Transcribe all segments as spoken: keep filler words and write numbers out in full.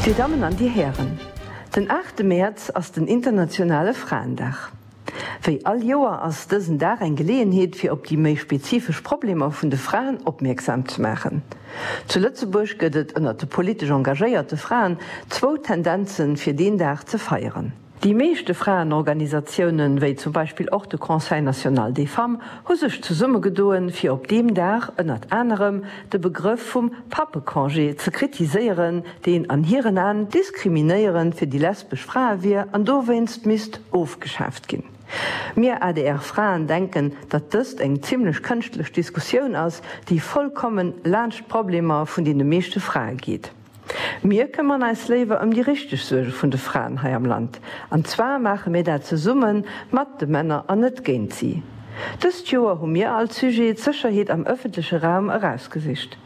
Dir Dammen an Dir Hären, den aachte Mäerz ass den internationale Fraendag. Wéi all Joer ass dësen Dag eng Geleeënheet fir op déi méi spezifesch Problemer vun de Fraen opmierksam ze maachen. Zu Lëtzebuerg gëtt et ënnert de politesch engagéierte Fraen zwou Tendenzen fir deen Dag ze feieren. Déi meeschte Fraenorganisatiounen, wéi zum Beispill och de Conseil national des femmes, hu sech zesummegedoen, fir op deem Dag ënnert anerem de Begrëff vum Pappecongé ze kritiséieren, deen an hiren Aen diskriminéierend fir déi lesbesch Frae wier an dowéinst misst ofgeschaaft ginn. Mir A D R-Fraen denken, datt dëst eng zimlech kënschtlech Diskussioun ass, déi vollkommen laanscht d'Problemer vun deene meeschte Frae geet. Mir këmmern eis léiwer ëm déi richteg Suerge vun de Fraen hei am Land. An zwar maache mir dat zesumme mat de Männer an net géint si. Dëst Joer hu mir als Sujet d'Sécherheet am ëffentleche Raum erausgesicht.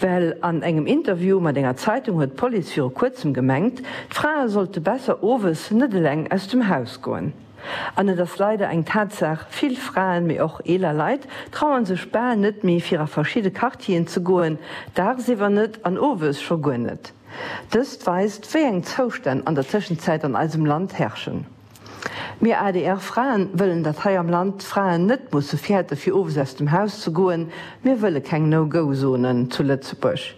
Well an engem Interview mat enger Zeitung huet d'Police viru kuerzem gemengt, d'Frae sollte besser owes net eleng aus dem Haus goen. An et ass leider eng Tatsaach, vill Fraen, mee och eeler Leit, trauen sech bal net méi fir a verschidde Quartieren ze goen, dagsiwwer net an owes scho guer net. Dëst weist, wéi eng Zoustänn an der Tëschenzäit an eisem Land herrschen. Mir A D R-Fraen wëllen, datt hei am Land d'Fraen net musse fäerte fir owes aus dem Haus ze goen. Mir wëlle keng No-Go-Zonen zu Lëtzebuerg.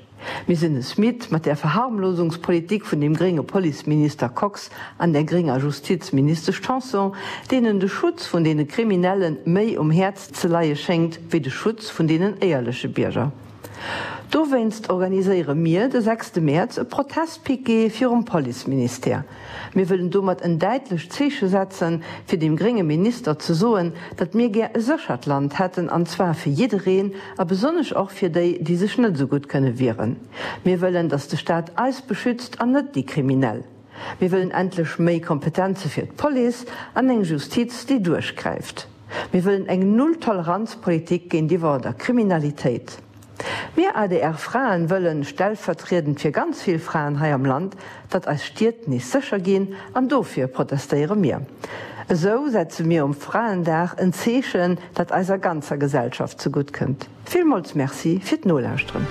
Mir sinn es midd mat der Verharmlosungspolitik vun dem grénge Policeminister Kox an der grénger Justizministesch Tanson, deenen de Schutz vun deene Kriminelle méi um Häerz ze leie schéngt wéi de Schutz vun deenen éierleche Bierger. Dowéinst organiséiere mir de sechste Mäerz e Protestpiquet virum Policeministère. Mir wëllen domat en däitlecht Zeeche setzen, fir dem grénge Minister ze soen, datt mir gär e séchert Land hätten, an zwar fir jiddereen a besonnesch och fir déi, déi sech net esou gutt kënne wieren. Mir wëllen, datt de Staat eis beschützt an net déi Kriminell. Mir wëllen endlech méi Kompetenze fir d'Police an eng Justiz, déi duerchgräift. Mir wëllen eng Null-Toleranz-Politik géintiwwer der Kriminalitéit. Mir A D R-Fraen wëllen, stellvertriedend fir ganz vill Fraen hei am Land, datt eis Stied nees sécher ginn, an dofir protestéiere mir. Esou setze mir um Fraendag en Zeechen, dat eiser ganzer Gesellschaft zegutt kënnt. Villmools Merci fir d'Nolauschteren.